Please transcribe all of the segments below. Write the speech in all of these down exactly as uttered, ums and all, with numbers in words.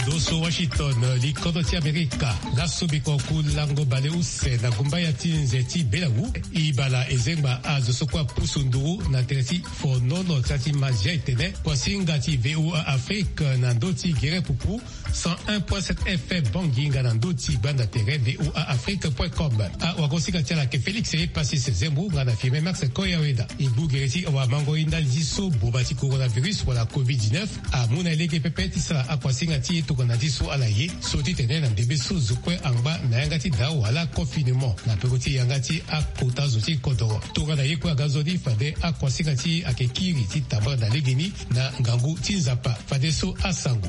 Ndo so Washington, likodro ti Amerika. Laso biko ku lango baleuse na gumbaya ti nze ti Belawu. Ibala ezengba azo so kue apusu nduru na tere ti fonono ti a ti mazia etene kuasinga ti VOA Afrique na ndö ti gere pupu cent un point sept F M Bangui nga na ndö ti gbanda tere VOA Afrique point com. Awagosinga ti ala ayeke Félix Epasis Zembo nga na Firmin Max Koyaweda. E gbu gere ti awamango ye ndali ti so boba ti coronavirus wala covid dix-neuf amu na e lege pepe ti sara akuasinga ti e tongana ti so ala ye so titene na ndembe so zo kue angba na yanga ti daa wala confinement na peko ti yanga ti akota zo ti kodoro. Tongana ye kue aga nzoni fade akuasinga ti e ayeke kiri ti tambala na legeni na ngangu ti Nzapa. Fadeso asango.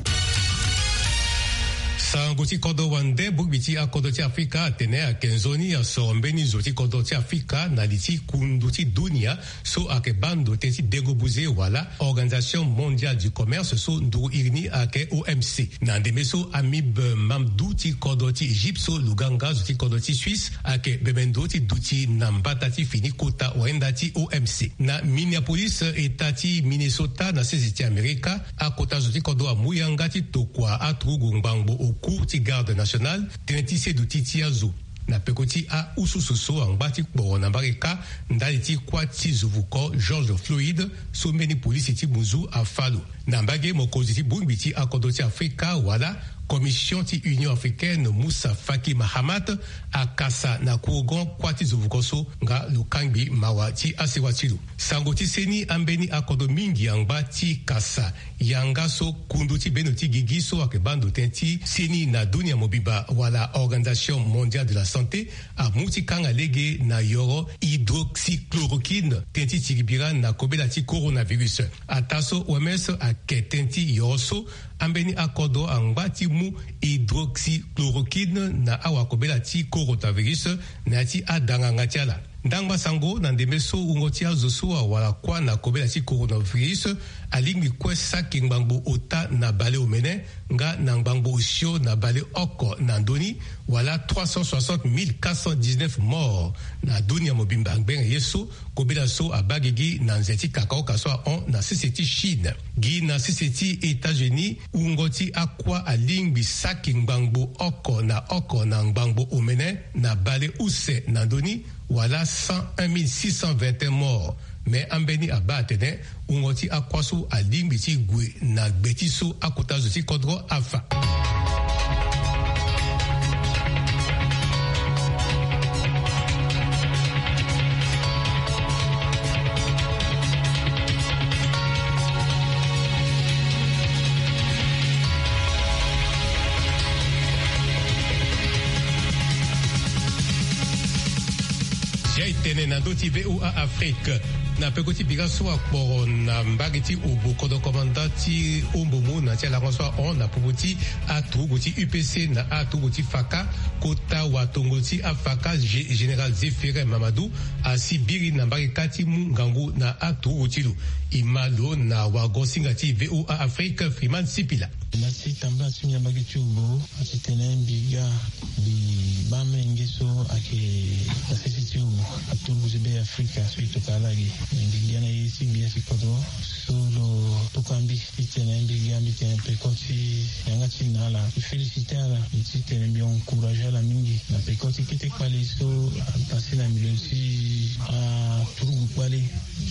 Sango ti kodro wande, bongbi ti akodro ti Afrika atene ayeke nzoni asoro mbeni zo ti kodro ti Afrika na li ti kundu ti dunia so ayeke baa ndo tënë ti dengo buze wala Organisation Mondiale du Commerce so nduru iri ni ayeke O M C. Na ndembe so Habib Mamdouh ti kodro ti Egypte so luganga zo ti kodro ti Suisse ayeke bembe ndo ti duti na mbata ti fini kota wayenda ti O M C. Na Minneapolis, eta ti Minnesota na sese ti Amerika, akota zo ti kodro amu yanga ti tokua aturugu ngbangbo oku ti Garde Nationale tënë ti seduti ti azo na peko ti ahususu so angba ti kporo na mbage kâ ndali ti kuâ ti zo vuko George Floyd so mbeni polisi ti muzu afa lo. Na mbage, mokonzi ti bongbi ti akodro ti Afrika wala Commission ti Union Africaine, Moussa Faki Mahamat, akasa na kurugon kuâ ti zo vuko so nga lo kangbi mawa ti asewa ti lo. Sango ti seni, ambeni akodro mingi angba ti kasa yanga so kundu ti bendo ti gigi so ayeke baa ndo tënë ti seni na dunia mobimba wala Organisation Mondiale de la Santé amu ti kanga lege na yoro hydroxychloroquine tënë ti tiri bira na kobela ti coronavirus. Ataa so O M S ayeke tënë ti yoro so ambeni akodro angba ti mu hydroxychloroquine na awakobela ti coronavirus na ya ti adanganga ti ala. Ndangba sango, na ndembe so wungo ti azo so awara kuâ na kobela ti coronavirus alingbi kue saki ngbangbo ota na baleomene nga na ngbangbo osio na baleoko na ndö ni, wala trois cent soixante mille quatre cent dix-neuf morts na dunia mobimba ngbene ye so kobela so abaa gigi na nze ti kakaoka so ahon na sese ti Chine. Gi na sese ti États-Unis, wungo ti akuâ alingbi saki ngbangbo oko na oko na ngbangbo omene na baleuse na ndö ni, wala cent un mille six cent vingt et un morts. Me ambeni abaa atene wungo ti akuâ so alingbi ti gue na gbe ti so akota zo ti kodro afa. Zia e tene na ndö ti VOA Afrique. Na peko ti bira so akporo na mbage ti Obo, kodro komanda ti Ombomo na ti alango so ahon na popo ti aturugu ti U P C na aturugu ti Faka, kota watongo ti aFaka, Gé-, Général Zéphirin Mamadou, asi biri na mbage kâ ti mu ngangu na aturugu ti lo. E ma lo na wagosinga ti VOA Afrique, Freeman Sipila. Merci, tambula ti mbi na mbage ti Obo. A ti tene mbi ga mbi baa menge so ayeke na sese ti Obo, aturugu ti Be Afrika so e tokua ala ge. Mbi ga na ye ti gbia ti kodro so lo tokua mbi. Ti tene mbi ga mbi tene peko ti yanga ti na ala, mbi féliciter ala, mbi ti tene mbi encourager ala mingi na peko ti kete kpale so apasé na milieu ti aturugu kpale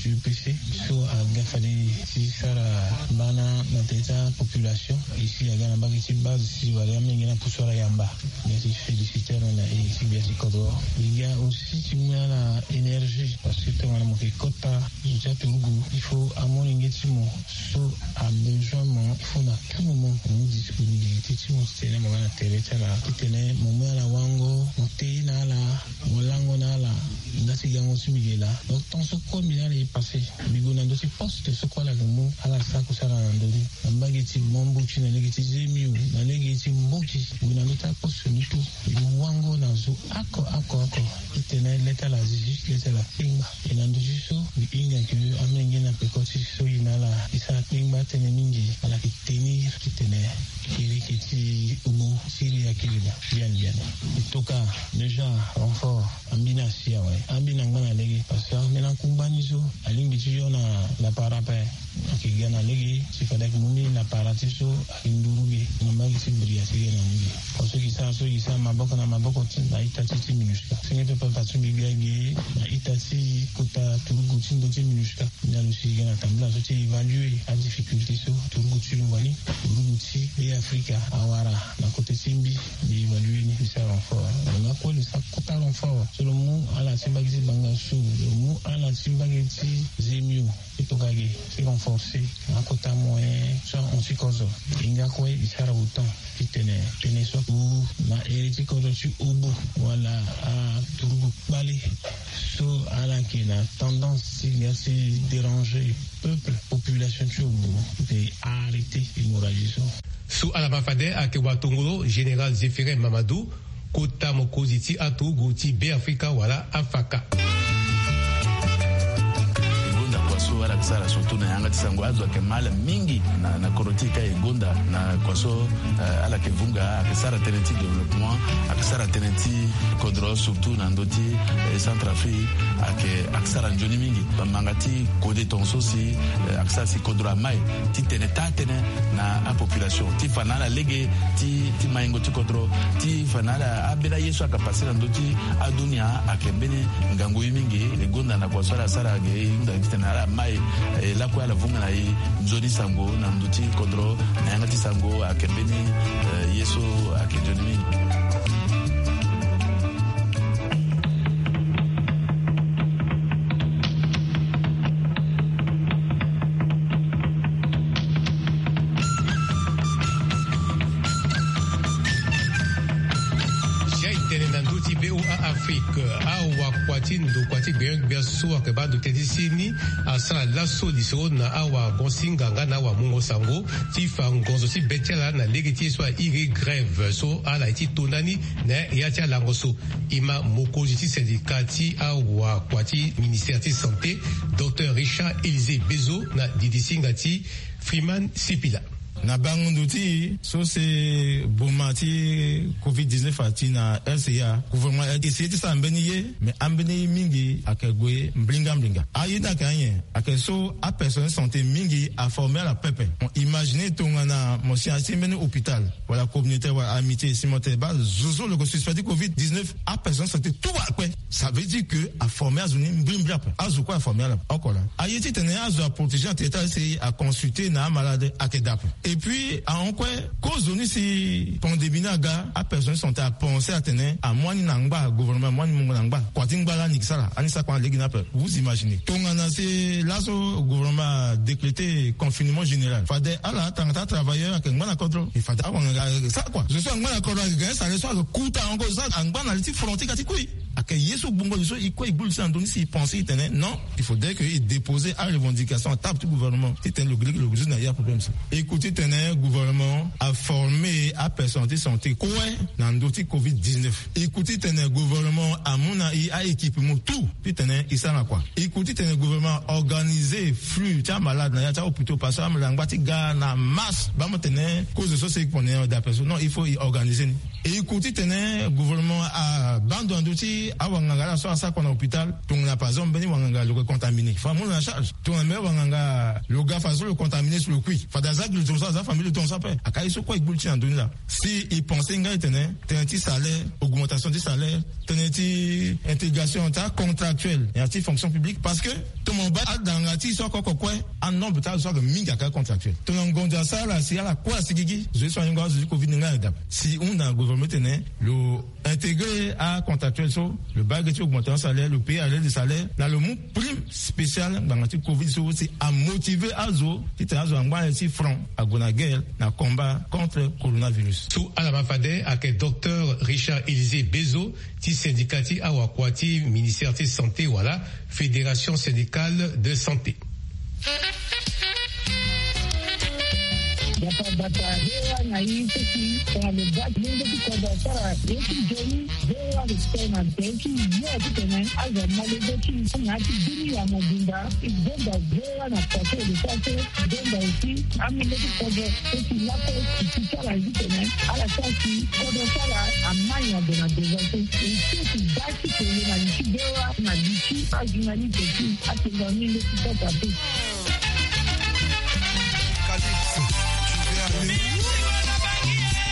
ti U P C so aga fade ti sara bana na tere ti apopulation. E si aga na mbage ti base ti wala amenge na pusu ala yamba. Mbi ti féliciter ala na e ti gbia ti kodro. Mbi ga aussi ti mu ala énergie parce que tongana mo yeke kota zo ti aturugu, il faut amolenge ti mo so abezoin mo, il faut na tout moment mo mu disponibilité ti mo ti tene mo ga na tere ti ala, ti tene mo mu ala wango, mo te ye na ala, mo lango na ala. Nda ti gango ti mbi ge laa. Donc temps so kue mbi na ala e passé, mbi gue na ndö ti poste so kue ala yeke mu ala sara kusala na ndö ni. Na mbage ti Bambuti, na lege ti Zemio, na lege ti Mboki, mbi gue na ndö ti aposte ni tout. Mbi mu wango na zo oko oko oko. Ti tene le ti ala azizi, le ti ala akpengba. E na ndö ti so mbi hinga ke amenge na peko ti so e na ala e sara kpengba tënë mingi, ala yeke tenir ti tene kiriki ti Obo ti iri akiri daa. Biani biani. E toka déjà renfort. Ambeni asi awe. Ambeni angba na lege. Parce que ambeni akungba ni so alingbi ti yo na lapara ape. Ayeke ga na lege ti fade ayeke mu mbeni lapara ti so ayeke nduru ge. Angi ti bria ti ge na ngi. Aso gi sara so gi sara maboko na maboko ti na ita ti ti minusca. Senge pepe afa ti mbi gbia ge na ita ti kota turugu ti ndo ti minusca. Nda lo si ge na tambula so ti évaluer adifficulté so turugu ti lo wani turugu ti be afrika awara na kote ti mbi. Mbi évaluer ni mbi sara renfort. Lo nga kue lo sara kota renfort so lo mu ala ti mbage ti banga so lo mu ala ti mbage ti zemio. Ti tokua ge ti renforcer na akota moyen so ahon ti kozo. E nga kue e sara autant ti tene tënë so ague na ere ti kozo ti obo wala aturugu kpale so ala yeke na tendance ti ga ti déranger peuple, population ti obo. Te arrêter hémorragie so. So ala ma fade ayeke watongolo général Zéphirin Mamadou, kota mokonzi ti aturugu ti Beafrika wala afaka. E gonda kua so ala yeke sara surtout na yanga ti sango azo ayeke mal mingi na, na kodro ti e ka e gonda na kua so, eh, ala yeke vunga ayeke sara tënë ti développement, ayeke sara tënë ti kodro surtout na ndö ti, eh, Centrafrique, ayeke, ayeke sara nzoni mingi. Bamanga ti kode tongaso si, eh, ayeke sara si kodro amai ti tene taa tënë na apopulation ti fa na ala lege ti, ti maingo ti kodro, ti fa na ala ambeni aye so ayeke pase na ndö ti adunia ayeke mbeni ngangu ye mingi. E gonda na kua so ala sara ge e hunda titene ala mai, eh, lakue ala vunga na e nzoni sango na ndö ti kodro na yanga ti sango ayeke mbeni, eh, ye so ayeke nzoni mingi. Jai tene na ndö ti V O A Afrique, awakua ti ndokua ti gbia gbia so ayeke baa ndo tënë ti seni asara laso lisoro na awagonsinga nga na awamungo sango ti fa ngonzo ti be ti ala na lege ti ye so airi grève so ala ye ti to ndani na ya ti alango so. E ma mokonzi ti syndicat ti awakua ti ministère ti santé, docteur Richard Élisée Bezo, na didisinga ti Freeman Sipila. Na bango ndo ti so si boma ti covid dix-neuf ati na L C A, gouvernement a essayer ti sara mbeni ye, mais ambeni ye mingi ayeke gue mbringa mbringa. Aye ni ayeke anyen? Ayeke so apersonnel santé mingi aformer ala pepe. Mo imaginer tongana mo si asi mbeni hôpital wala communautaire wala amitié si mo tene baa zo so lo yeke suspect ti covid dix-neuf, apersonnel santé tout akpe. Ça veut dire que aformer azo ni mbirimbiri ape. Azo kue aformer ala oko laa. Aye titene azo aprotéger na tere ti ala si aconsulter na amalade ayeke daa ape. Et puis ahon kue, kozo ni si pandémie ni aga, apersonnel santé apenser atene amu ani na ngba, gouvernement amu ani mungo na ngba. Kua ti ngba laa ni yeke sara, ani sara kua na lege ni ape. Vous imaginez tongana si laso gouvernement adécréter confinement général, fade ala tanga ti atravailleur ayeke ngba na kodro. E fade awanganga ayeke sara kua? Zo so angba na kodro ayeke gagner salaire so ayeke kuta ango, zo so angba na li ti front ti ga ti kui. Ayeke ye so gbongo zo so e kue e gbu li ti na ndö ni si e penser e tene non, il faudrait que e déposer arevendication na table ti gouvernement titene lo gi lege lo résoudre na ye aproblème so. E ku titene gouvernement aformer apersonnel ti santé kue na ndö ti covid dix-neuf. E ku titene gouvernement amu na e a-équipement tout titene e sara na kua. E ku titene gouvernement aorganiser flux ti amalade na ya ti ahôpitaux parce que amalade angba ti ga na masse. Baa mo tene kozo so si e pone da personne, non, il faut e organiser ni. E ku titene gouvernement abaa ndo na ndö ti awanganga ala so asara kua na hôpital. Tongana par exemple mbeni wanganga lo yeke contaminé, il faut amu lo na charge. Tongana mbeni wanganga lo ga fadeso lo contaminé so lo kui, fade aza gi lo tongaso, aza famille lo tongaso ape. Ayeke aye so kue e gbu li ti na ndö ni laa. Si e penser nga e tene tënë ti salaire, augmentation ti salaire, tënë ti intégration ti acontractuel na ya ti fonction publique, parce que tongana mo baa adanga ti e so oko oko kue, anombre ti azo so ayeke mingi ayeke acontractuel. Tongana ngonzo asara ala si ala kue asigigi, zo ye so ahingo azo ti covid ni nga ayeke daa ape. Si hunda na gouvernement titene lo intégrer acontractuel so, lo baa ge ti augmentation salaire, lo payer arrêt de salaire, na lo mu prime spéciale ngbanga ti covid so si amotiver azo titene azo angba na li ti front ague na guerre na combat contre coronavirus. So ala ma fade ayeke docteur Richard Élisée Bezo ti syndicat ti awakua ti ministère ti santé wala Fédération syndicale de santé. Bata bata, V O A na i so si tongana lo baa lenge ti kodro asara ye ti nzoni, V O A respect na tënë ti yo titene azo amolenge ti na ya ti bini ya mobimba. E gonda V O A na kua so e lo sara so. E gonda aussi amolenge ti kodro so si lakue e si ti ala titene ala sara si kodro ti ala amai na ndo na devant so. E so si baa ti tene na li ti V O A na li ti ajournaliste aussi. Atene na ni nde ti kota te. Calypso, tu veux aller où?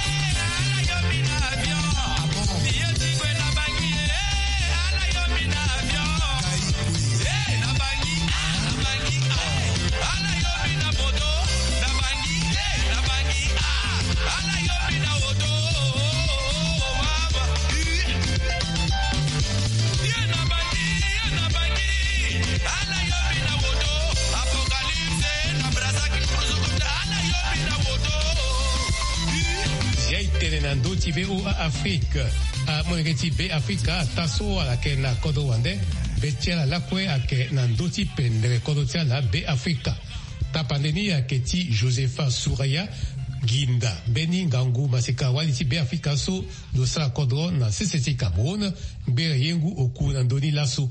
Zia e tene na ndö ti V O A Afrique. Amolenge ti Be Afrika ataa so ala yeke na kodro wande. Be ti ala lakue ayeke na ndö ti pendere kodro ti ala Be Afrika. Tapande ni ayeke ti Josepha Souraya Ginda, mbeni ngangu maseka wali ti Be Afrika so lo sara kodro na sese ti Cameroun. Ngbere yengu oku na ndö ni laso.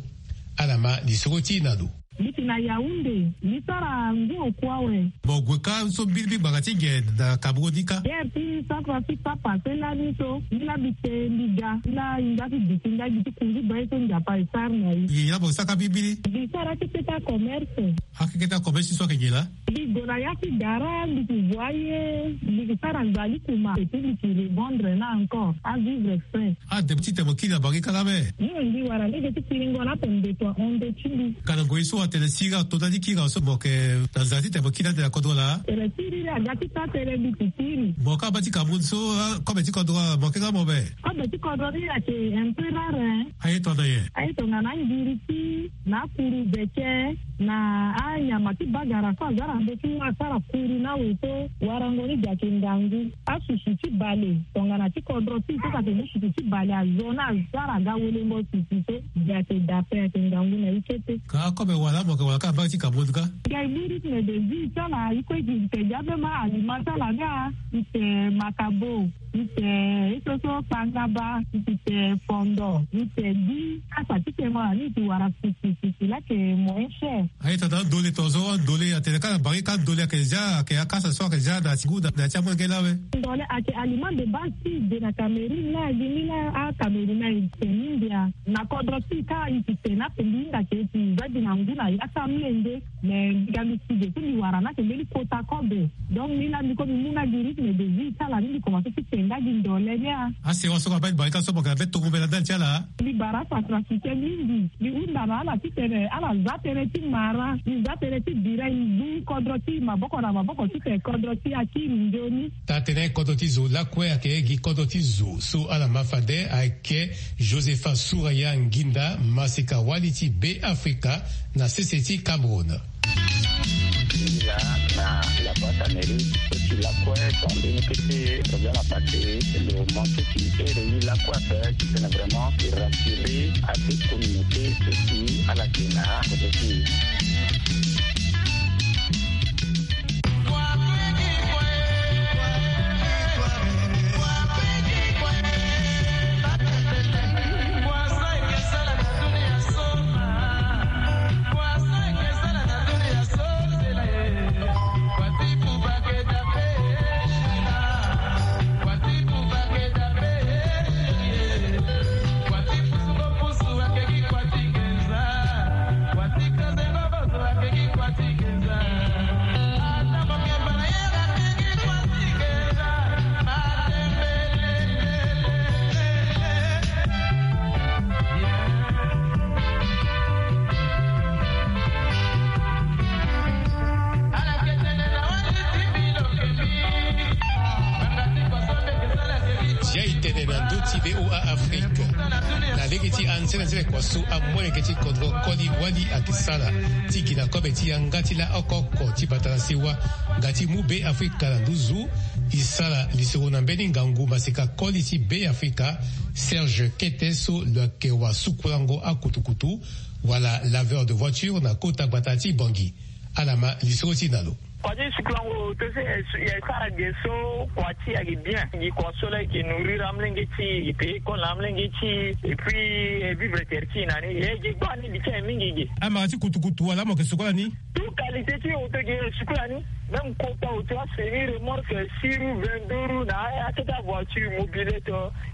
Ala ma lisoro ti e na lo. Mbi yeke na Yaoundé, mbi sara ngu oku awe. Mo gue kâ so mbirimbiri ngbanga ti nyen na Cameroun ni kâ? Guerre ti Centrafrique so apase lani so, mbi laa mbi te mbi ga, mbi laa e nga ti duti ndai, mbi ti kunzu baa ye so Nzapa e sara na e. Nyen laa mo sara kâ mbirimbiri? Mbi sara ti keta commerce. Akeketa commerce so ayeke nyen laa? Mbi gue na ya ti gara, mbi yeke voye, mbi yeke sara nzali kuma, et puis mbi yeke revendre na encore, avivre frais. Ade ti tene mo kiri na bangi kâ laa me? Mbi wara lege ti kiringo na ape mbeto ahon ndö ti mbi. Ka na ngoi so atene sira ato ndali ti kiri so mo yeke na nzara ti tene mo kiri ande na kodro laa? Tene siriri aga ti taa tënë mbi yeke kiri. Mo kâ abaa ti Cameroun so, ah, kobe ti kodro mo yeke nga mo be? Kobe ti kodro ni ayeke un peu rare, hein. Aye tongana nyen? Aye tongana angiriti, na akuru beke, na anyama ti bagara so aza na ndö ti mu asara kuru na awe so, warango ni gi ayeke ngangu. Asusu ti bale, tongana ti kodro ti e so ayeke mu susu ti bale azo na asara aga welengo susu so, gi ayeke da ape, ayeke ngangu na e kete. Ka akobe wala mo yeke wara kâ na mbage ti Cameroun kâ? Gi aye mu rythme de vie ti ala, e kue gi e tene gi ambeni aliment ti ala ni a, e tene makabo. Ite, ite so kpangaba, ite fondo, ite di, kasa ti tengo na ni ite wara sisi, sisi laa ayeke moins cher. Aye tongana andole tongaso, andole atene kâ na bangi kâ andole ayeke zia, ayeke akasa so ayeke zia na ti ngu na, na ti amolenge laa awe. Ndole ayeke aliment de base ti e de na Cameroun laa, gi ni laa aCameroun ayeke mingi a. Na kodro ti e kâ ite tene ape mbi hinga ayeke ite za gi na ngu na ya ti amolenge. Mais mbi ga mbi si ge so mbi wara ni ayeke mbeni kota kobe. Donc ni laa mbi kue mbi mu nga gi rythme de vie ti ala ni, mbi komanse ti te nga gi ndole ni a. Asewa so ka baa ti bale kâ so mo yeke na be tongo mbela ndali ti ala. Mbi bara acentrafricain mingi. Mbi hunda na ala titene ala za tënë ti mara, mbi za tënë ti bira, mbi zu kodro ti maboko na maboko titene kodro ti e akiri nzoni. Taa-tënë kodro ti zo lakue ayeke gi kodro ti zo so ala ma fade ayeke Josepha Souraya Nginda, maseka wali ti Be Afrika na sese ti Cameroun. Là, na la boîte à mairie, et puis la quoi, quand on était, on a passé le manque qui est réuni la quoi, c'est que c'est vraiment rassuré à cette communauté, et puis à la Sénat, et puis Zia e tene na ndö ti V O A Afrique. Na lege ti anzenanzene kua so amolenge ti kodro koli wali ayeke sara ti gi na kobe ti yanga ti laoko oko ti bata na sewa nga ti mu Be Afrika na nduzu. E sara lisoro na mbeni ngangu maseka koli ti Be Afrika, Serge Kete, so lo yeke wasukulango akutukutu wala laveur de voiture na kota gbata ti Bangui. Ala ma lisoro ti e na lo. Kua ti sukulango to so e sara ge so kua ti e ayeke bien. Gi kua so la e yeke nourrir amolenge ti e, e paye école na amolenge ti e, et puis e vivre terre ti e na ni. E ge gbaa ni li ti e mingi ge. Amara ti kutukutu wala mo yeke sukola ni? Tout qualité ti auto ge e sukola ni. Même kota auto, asemi remorque, six roues, vingt-deux roues, na akete avoiture, mobilette.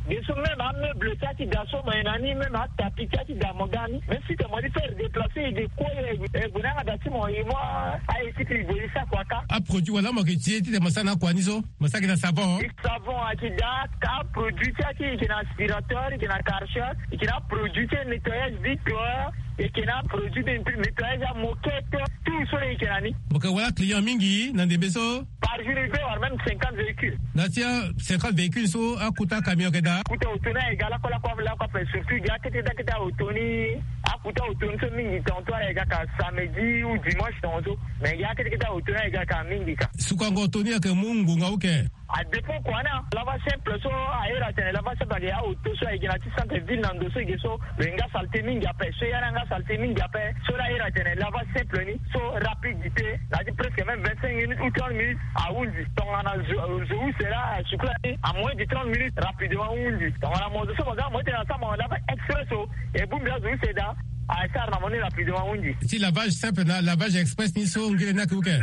Ge so même ameuble ti ati da so mo ye na ni, même atapi ti ati da mo ga ni. Même si te mo li faire déplacer, e de kue e gue na yanga da ti mo, e mo a-équipe e gue e sa kua kâ. Aproduit wala mo yeke ti e ti tene mo sara na akua ni so? Mo sara gi na savon? Savon ayeke da, kâ produit ti ati e yeke na aspirateur, e yeke na Karcher, e yeke na produit ti nettoyage vitre. Eke na produit de nettoyage ya moquette, tout so leke na ni. Moke wala client mingi na ndembe so. Par jour il peut avoir même cinquante véhicules. Na ti a cinquante véhicules so akuta camion yeke daa. Akuta auto ni ayeke ga lakue lakue lakue ape, surtout gi akete akete auto ni. Akuta auto ni so mingi tonton ayeke ga ka samedi ou dimanche tonton so. Mais gi akete akete auto ni ayeke ga ka mingi ka. Sukango auto ni ayeke mu ngonga uke. Adépend kua na lava simple so. Ahiri atene lava simple ayeke ya auto so ayeke na ti centre ville na ndo so eke so lo ye nga saleté mingi ape, so ya na nga saleté mingi ape. So la ahiri atene lava simple ni so rapidité na ti presque même vingt-cinq minutes ou trente minutes ahundi. Tongana zo zo use la asukula ni à moins de trente minutes rapidement ahundi. Tongana mo zo so mo ga mo ti tene asara mo lava express so, e bongbi azo use daa. Asara na mo ni rapidement ahundi. Ti lavage simple na lavage express ni so ngere ni ayeke uke?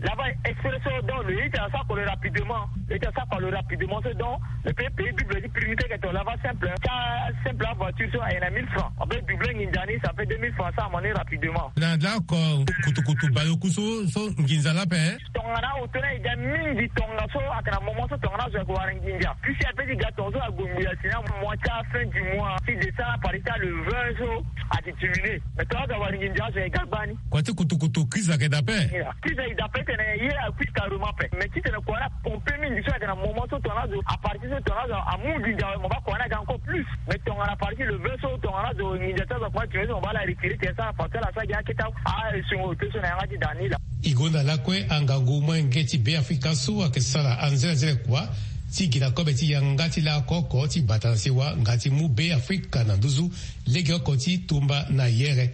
Lava express so donc lo ye ti asara kua lo rapidement. Lo ye ti asara kua lo rapidement so donc lo peut payer double ti prix ni ti eke to lava simple. Ti asimple avoiture so aye na mille francs, on peut doubler nginza ni, ça fait deux mille francs, asara mo ni rapidement. Na lako kutukutu bayoku so so nginza la ape. Tongana auto ni ayeke ga mingi tongaso ayeke na moment so tongana azo ayeke wara nginza, puisque ape ti ga tongaso ague ngbi asi na mois ti afin du mois ti décembre, à partir ti le vingt so ayeke diminuer. Mais tongana azo awara nginza azo ayeke ga gbani. Kua ti kutukutu crise ayeke daa ape. Crise ayeke daa ape ti tene ye akui carrément ape. Mais ti tene kua ni apompe mingi so ayeke na moment so tongana azo à partir so tongana azo amu nginza awe mo baa kua ni aga encore plus. Mais tongana à partir le vingt so tongana azo nginza ti azo akoma diminuer so mo baa ala retirer tene asara parcelle asara gi akete. Ah, esengo auto so na yanga ti daa ni laa. E gonda lakue angangu molenge ti Beafrika so ayeke sara anzenanzene kua ti gi na kobe ti yanga ti laoko oko ti bata na sewa nga ti mu Beafrika na nduzu legeoko ti tumba na yere.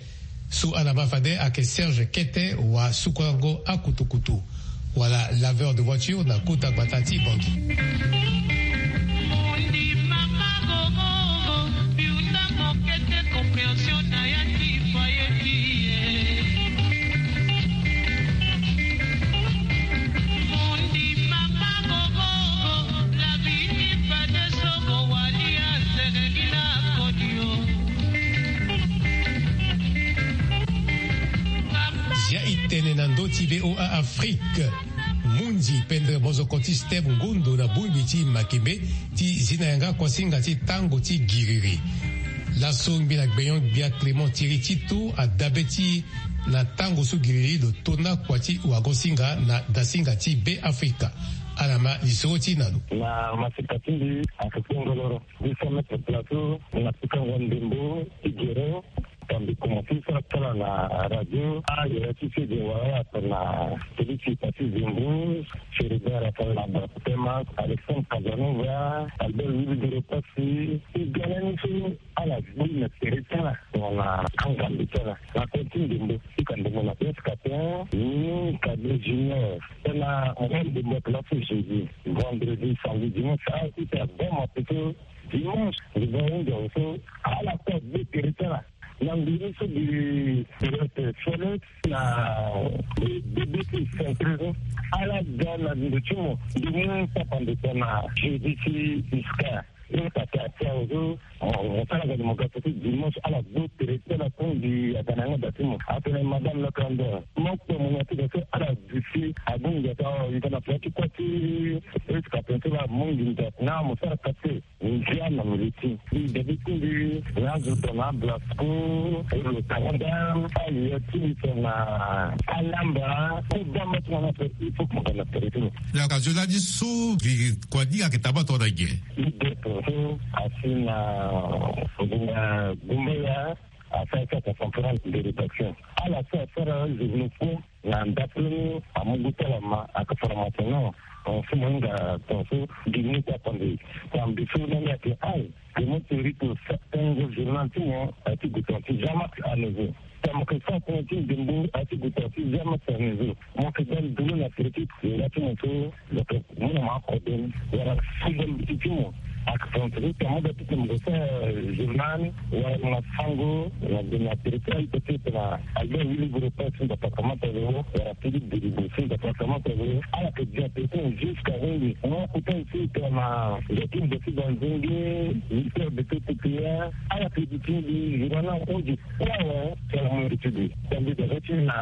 So ala ma fade ayeke Serge Kete wa sukuango akutukutu. Wala laveur de voiture na kota gbata ti Bangui. Zia e tene na ndö ti V O A Afrique. Munzi pendere mozoko ti Steve Ngondo na bongbi ti makembe ti zi na yanga kuasinga ti tango ti giriri. Laso ngbi na gbenyo-gbia Clément Thierry Tito adabe ti na tango so giriri lo tona kua ti wago-singa na dasinga ti Beafrika. Ala ma lisoro ti na lo. Na maseka ti mbi ayeke kpengoloro. Mbi sa mettre place na pikango ndembo ti gere. Tambi komanse sara kala na radio. Ah, yere ti sege wala ape na télé ti pasi Zembo, Chérubin Raphaël na Barthémas, Alexandre Casanova, Albert Willy Doro Passy. E ga lani so ala gbu na tere ti ala tongana angambe ti ala. Na kue ti ndembo, ti ka ndembo na S K T un, ni Cadet Junior. Tena mo ga ndembo place jeudi, vendredi, samedi, dimanche, ah, ita bon mapeto. Dimanche, ndembo ahunda so ala kue agbu tere ti ala. Na nguru so gi Felix na bebe ti centre so ala ga na ndo ti mo. Ndomu tapande tongana jeudi ti iska. Ni kata ti azo mo sara ga ni mo ga so ti dimanche ala gbu tere ti ala kongbi aga na yanga da ti mo. Atene madame le candidat mo kpe mo na ti ga so ala dusi agu ngia ti awa yika na fila ti kua ti iska tene so la mo nginza na mo sara kate. Ndia na mili ti mbi dabi ti mbi na azo tongana Blasco, lo tanga da aye ti mbi tongana alamba ti bamba tongana ape il faut que mo ga na tere ti lo. Yaka zo lani so mbi kua ni ayeke taba tongana nyen? Mbi de tongaso asi na ngonga gumbaya. Asara ti ata conférence de rédaction ala so asara journaux faux. Na ndapeleni amu gu ti ala ma aka formation na. Tongaso mo hinga tongaso gigi ni ti akonde. Tambi so na ni ayeke ai. Ke mo ti rito sa tengo journal ti mo aye ti gu tonga ti jamais à neuf heures. Tongana mo ke sara tënë ti ndembo aye ti gu tonga ti jamais à neuf heures. Mo ke ga ndulu na tere ti nga ti mo so. Mo na ma akode ni wala sida mbeti ti mo. Aka tonga ti mo ga ti tene mo ke sara journal wala mo na sango na gue na tere ti aye peut-être na Albert Willy Boropa si département ti Leo wala Philippe Delibo si département ti Leo. Ala yeke dia tere ti mo jusqu'à Wenge. Mo kota aussi tongana Joachim Beti Banzenge, Victor Beti Tupia. Ala yeke di ti mbi journal na odio kue awe. Tongana mo reti mbi tongana mbi ga ti na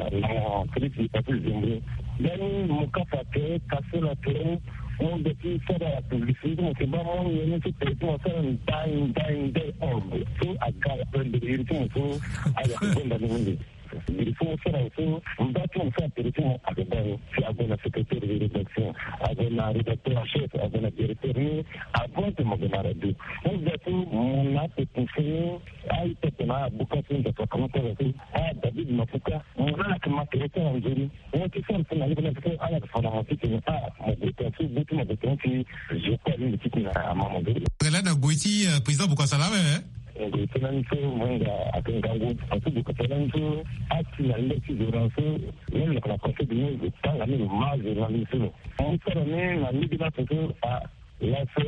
na mo Philippe Patrice Zembre. Dani mo kapa tere, kase na tere. Mo ga ti sara publicité ti mo si baa mo nyen ni so tere ti mo asara ndai ndai ndai. Orbe so aga na prendre iri ti mo so. Aga ti gonda ni mingi. Biri so mo sara so mba ti mo so atere ti mo aga baa ni si ague na secrétaire de rédaction, ague na rédacteur en chef, ague na directeur ni. Avant ti mo gue na radio, mo ga so mo na ape ti fini. Aye pepe na abuka so nzapa kama tara so. Ah, David Mapuka, mo na ayeke ma tere ti ala nzoni. Mo ti sara so na lege na so ala yeke fa na mo titene ah mo gue tonga so gue ti mo gue tonga ti zo kue alingbi titene ama mo gue. Laa na gue ti président Bokasa laa awe. Gue ti lani so mo hinga ayeke ngangu. Asu gue kasa lani so asi na lege ti zo na so. Même na conseil de ministre tanga ni lo ma zo na ni so lo mo sara ni na lege na so so ah. Laso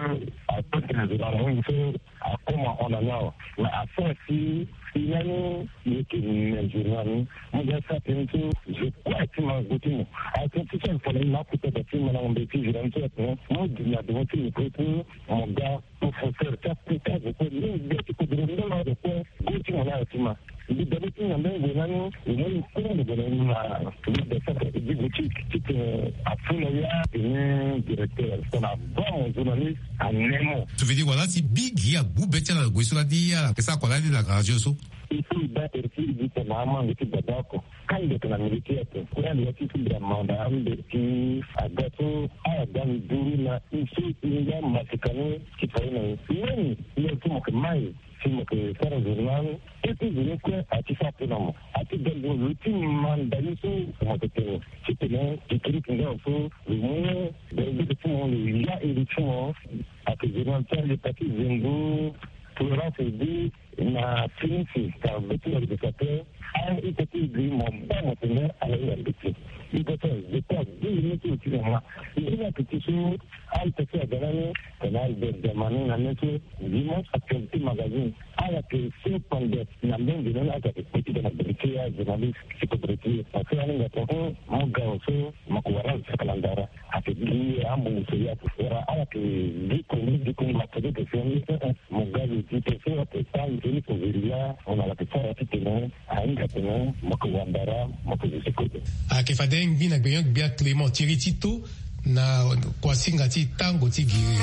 ato tene zo na mo so akoma hon na ni awe. Mais asara si si lani yeke me zo na ni. Mo ga sa tene so zo kue ti ma gue ti mo. Atene ti so alifo na ni na akuta da ti ma na ngombe ti zo na ni so atene mo gi na devant ti micro ti mo ga. Professeur ti akuta zo kue ni ga ti kodoro ndala zo kue. Gue ti mo na ayo ti ma. Mbi dade ti na mbeni gue lani. Lo moni kue lo gue na ni na mbi da saka edi boutique titene afu na ya tene directeur titene aba mo journaliste. Ane mo. Tu veux dire wala si mbi gi agbu be ti ala na gue so lani ala yeke sara kua lani na radio so. Il faut i baa tere ti i gi tene amange ti baba oko. Kande yeke na milieu ti ape kue ande ya ti ti bira manda ambe ti aga so ala ga nduru na i so i nga masika ni. Ti fa ye na i leni. Leni ti mo yeke mai. Si mo yeke sara journal. Kete zo ni kue ati sara pe na mo ati ga nduru lo ti manda ni so. Mo yeke tene titene district nga so lo mu. Bergere ti mo lo ya iri ti mo. Ayeke journal ti ande pati zengo. Tolérance edi na finisi car be ti lo yeke sa pe. Aye ita ti e gi mo baa mo tene ala hinga mbeti. Ita ti azo kue agbu ye ni ti lo ti na ma. Nzoni ayeke ti so. Aita ti aga lani tene Albert Diamani na ni so. Dimanche Actualité Magazine. Ala yeke so pande na mbeni nzoni ala yeke kpe ti ga na bere ti ajournaliste ti kodro ti e. Parce que aninga tene hum mo ga awe so mo yeke wara azo saka na ndara. Ayeke gi ambongo so ya wala ala yeke gi koni gi koni ma tene yeke so ni. Mo ga lo ti pe so ape tango so ni kozeri laa mo na ala yeke sara titene ahinga tene mo yeke wandara mo yeke zo ti kode. Ayeke fade ngbi na gbenyo-gbia Clément Thierry Tito na kuasinga ti tango ti giri.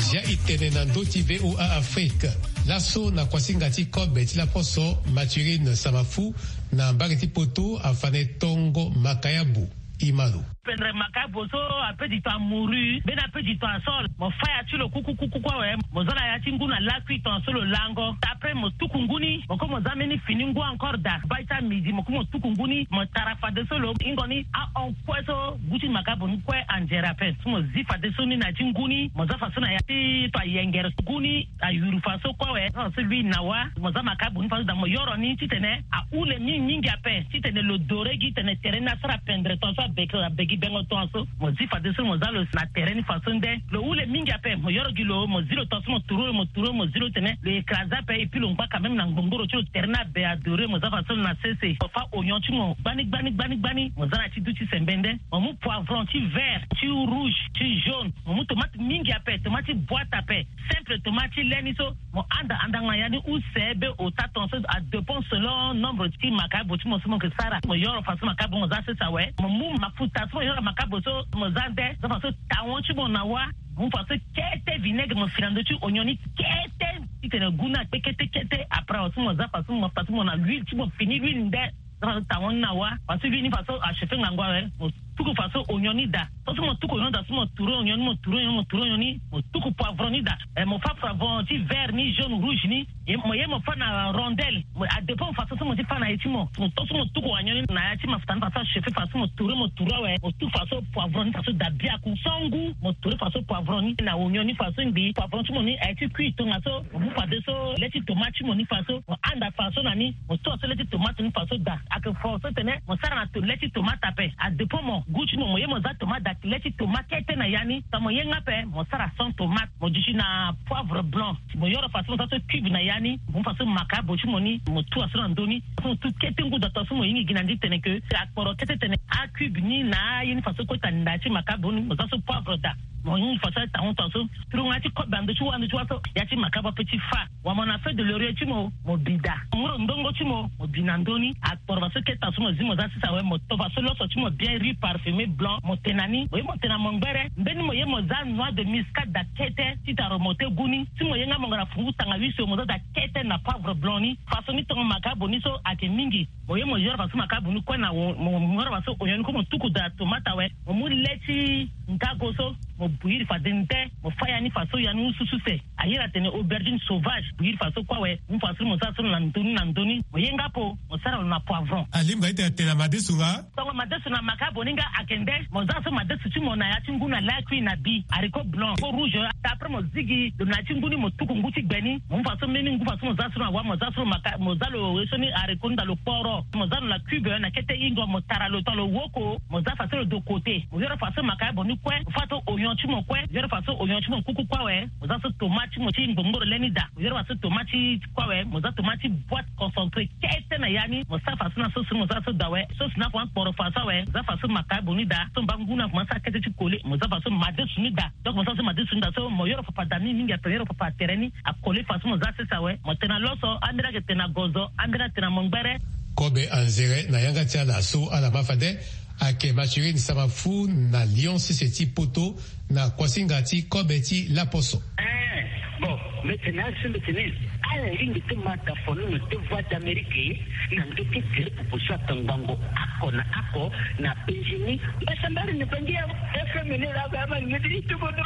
Zia e tene na ndö ti V O A Afrique. Laso na kuasinga ti kobe ti laposo Mathurin Samafu na mbage ti poto afa na e tongo makayabu. Imalo. Pendre makayabu so ape du temps amouru mbeni ape du temps asol mo faya ti lo kukukukuku awe. Mo za na ya ti ngu na lakui tonga so lo lango. Après mo tuku ngu ni mo kue mo za mbeni fini ngu encore daa bai ti amidi mo kue mo tuku ngu ni mo tara fadeso lo hingo ni ahon kue so gu ti makayabu ni kue anzere ape. So mo zi fadeso ni na ya ti ngu ni mo za faso na ya ti to ayengere so gu ni ayuru faso kue awe. Faso lui na wa mo za makayabu ni faso daa mo yoro ni titene ahule mingi mingi ape titene lo dore gi tene tere ni asara pendre tonga so abegi abegi bengo tonga so. Mo zi fadeso mo za lo na tere ni faso nde lo hule mingi ape mo yoro gi lo mo zi lo tonga so mo turu lo mo turu lo mo zi lo tene lo écrase ape et puis lo ngba quand même na ngbongoro ti lo tere ni abe adore mo za faso lo na sese mo fa oignon ti mo gbani gbani gbani gbani mo za na ti du ti sembe nde. Mo mu poivron ti vert ti rouge ti jaune mo mu tomate mingi ape tomate ti boite ape. Simple tomate ti le ni so mo anda andanga ya ni use be ota tonga so adépend selon nombre ti makabo ti mo so mo yeke sara mo yoro faso makabo mo za sese awe mo mu mafuta so mo yoro makabo so mo za nde za faso tawon ti mo na wa. Mo mu faso kete vinaigre mo fi na ndö ti oignon ni kete titene gu ni akpe kete kete après awe so mo za faso mo faso mo na l'huile ti mo fini l'huile nde. Za faso tawon ni na wa faso l'huile ni faso achauffe ngangu awe mo tuku faso oignon ni daa. So so mo tuku oignon ni daa so mo turu oignon ni mo turu oignon ni mo turu oignon ni mo tuku poivron ni daa. Mo fa poivron ti vert ni jaune rouge ni. Mo ye mo fa na rondelle mo adépend faso so mo ti fa na ye ti mo mo to so mo tuku oignon ni na ya ti mafuta ni faso achauffe faso mo turu mo turu awe mo tuku faso poivron ni faso daa biaku so ngu mo turu faso poivron ni na oignon ni faso ngbii poivron ti mo ni aye ti kui tongaso. Mo mu fadeso le ti tomate ti mo ni faso mo anda faso na ni mo tua so le ti tomate ni faso daa ayeke fo so tene mo sara na to le ti tomate ape adépend mo. Goût ti mo, mo ye mo za tomate daa, le ti tomate kete na ya ni. Tongana mo ye nga ape, mo sara sans tomate, mo duti na poivre blanc. Mo yoro façon mo za so cube na ya ni, mo mu façon makabo ti mo ni, mo tua so na ndö ni. Façon mo tu kete ngu daa, tua so mo hingi gi na ndi tene ke akporo kete tene acube ni na aye ni, façon kota nda ti makabo ni, mo za so poivre daa. Mo hingi façon atango tua so. Turunga ti kobe na ndö ti wâ, ndö ti wâ so, ya ti makabo ape ti fâ. Wamana feuille de laurier ti mo, mo bi daa. Ngoro ndongo ti mo, mo bi na ndö ni. Akporo façon keta so mo zi mo za sisa awe, mo to façon loso ti mo bien, riz parfumé blanc, mo te na ni. Mo ye mo te na mo ngbere, mbeni mo ye mo za noix de muscade daa kete, ti ta remonter goût ni. Si mo ye nga mo ngara fungu tanga huit so, mo za daa kete na poivre blanc ni. Façon ni tongo makabo ni so ayeke mingi. Mo ye mo yoro façon makabo ni kue na wo-, mo, mo yoro façon oignon ni kue, mo tuku daa tomate awe. Mo mu le ti ngago so, mo bouillir fade nde, mo fâ ya ni façon ya ni use use. Aye atene aubergine sauvage, bouillir façon kue awe. Mu façon mo za so na ndö ni, na ndö ni. Mo ye nga ape, mo sara lo na poivron. Alingbi ete atene na madesu nga? Tongo madesu na makabo ni nga ayeke nde, mo za so madesu ti mo na ya ti ngu na lakui na bi, haricot blanc, haricot rouge. Après mo zigi lo na ya ti ngu ni, mo tuku ngu ti gbe ni. Mo mu façon mbeni ngu façon mo za so na wâ, mo za so maka-, mo za lo ye so ni haricot ni daa lo kporo. Mo za lo na cube na kete ingo, mo tara lo tongana lo woko, mo za façon lo de côté. Mo yoro façon makabo ni kue, mo fâ to oignon ti mo kue, yoro façon oignon ti mo kuku kue awe. Mo za so tomate ti mo ti ngbongboro le ni daa. Mo yoro façon tomate ti kue awe, mo za tomate ti boîte concentré kete na ya ni, mo sara façon na sauce ni, mo za so daa awe. Sauce ni afa kporo façon awe, mo za façon makabo ni daa. So mba ngu ni akomanse sara kete ti collé, mo za façon madesu ni daa. Donc mo sara so madesu ni daa so, mo yoro papa daa mingi, ape yoro papa tere ni, acollé façon mo za sese awe. Mo te na loso, ambeni ayeke te na gozo, ambeni ayeke te na mo ngbere. Kobe anzere na yanga ti ala so ala ma fade, ayeke Mathurin Samafu na Lyon sese ti Poto, na kuasinga ti kobe ti laposo. Eh, bon, mbi tene asi, mbi tene ala lingbi ti ma daa fono na deux voix d'Amérique na ndö ti tere popo so atongbango oko na oko na penzi ni. Mbasambari ni bangi ya F M ni la ba ma ni ti tubo do.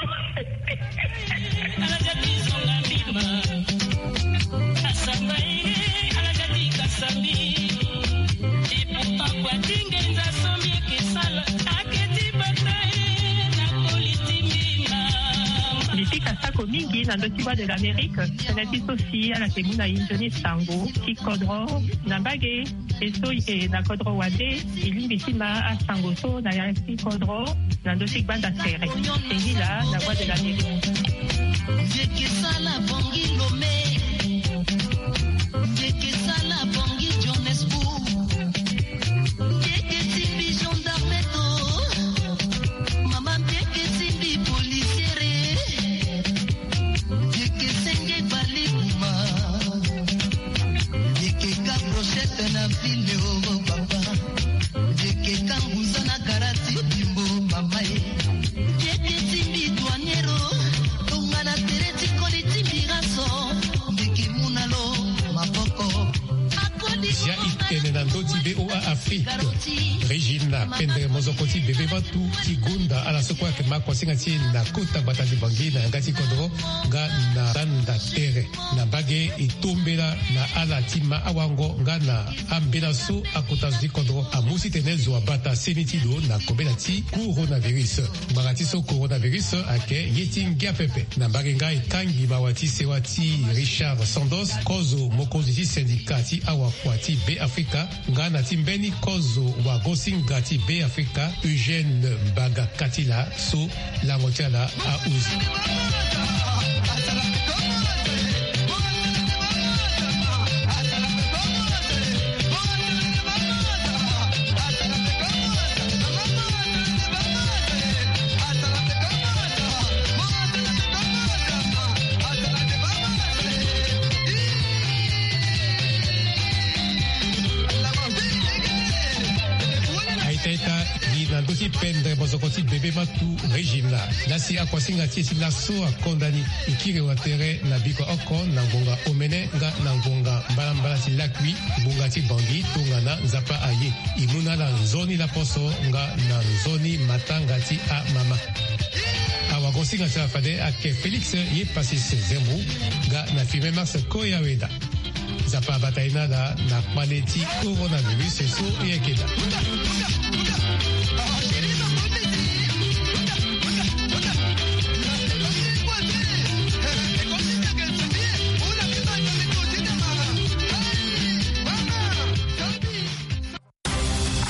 Ala ja ti zonga mbima. Asamba ye, ala ja ti kasambi. Et pourtant, kua ti ngenza so mbi yeke sala, ake ti bata ye na koli ti mbi mama. Mbi pika sako mingi na ndö ti Voix de l'Amérique. Tënë ti so si ala yeke mu na e nzoni sango ti kodro na mbage. E so e yeke na kodro wande, e lingbi ti ma asango so na ya ti kodro na ndö ti gbanda tere. Singila na Voix de l'Amérique. Mbi yeke sala Bangui Lomé. Mbi yeke sala Bangui Johannesburg. Mbi yeke simbi gendarme to. Mama, mbi yeke simbi policiere. Mbi yeke senge bali kuma. Mbi yeke ka brochette na ville, oh papa. Mbi yeke ka nguza na gara ti bimbo, mama e. Mbi yeke simbi douanier, oh. Tongana tere ti koli ti mbi raso. Mbi yeke mu na lo maboko. Zia e tene na ndö ti V O A Afrique. Régina Pendre, mozoko ti bebe vatu, ti gonda ala so kue ayeke ma kuasinga ti e na kota gbata ti Bangui na yanga ti kodro nga na gbanda tere. Na mbage e tombela na ala ti ma awango nga na ambela so akota zo ti kodro amu titene zo abata seni ti lo na kobela ti coronavirus. Ngbanga ti so coronavirus ayeke ye ti ngia pepe. Na mbage nga e kangi mawa ti sewa ti Richard Sandos, kozo mokonzi ti syndicat ti awakua ti Beafrika, nga na ti mbeni kozo wagosinga ti Beafrika, Eugène Mbaga Katila, so lango ti ala ahuzi. Aita ita gi na ndö ti pendre mozoko ti bebe matu Régina. Lasi akuasinga ti e ti laso akonda ni. E kiri watere na bikua oko na ngonga omene nga na ngonga mbalambala ti lakui, ngonga ti Bangui, tongana Nzapa aye. E mu na ala nzoni laposo nga na nzoni matanga ti amama. Awagosinga ti ala fade ayeke Félix Yepasis Zembo nga na Firmin Mars Koyaweda. Nzapa abata ye na ala na kpale ti coronavirus so e yeke daa.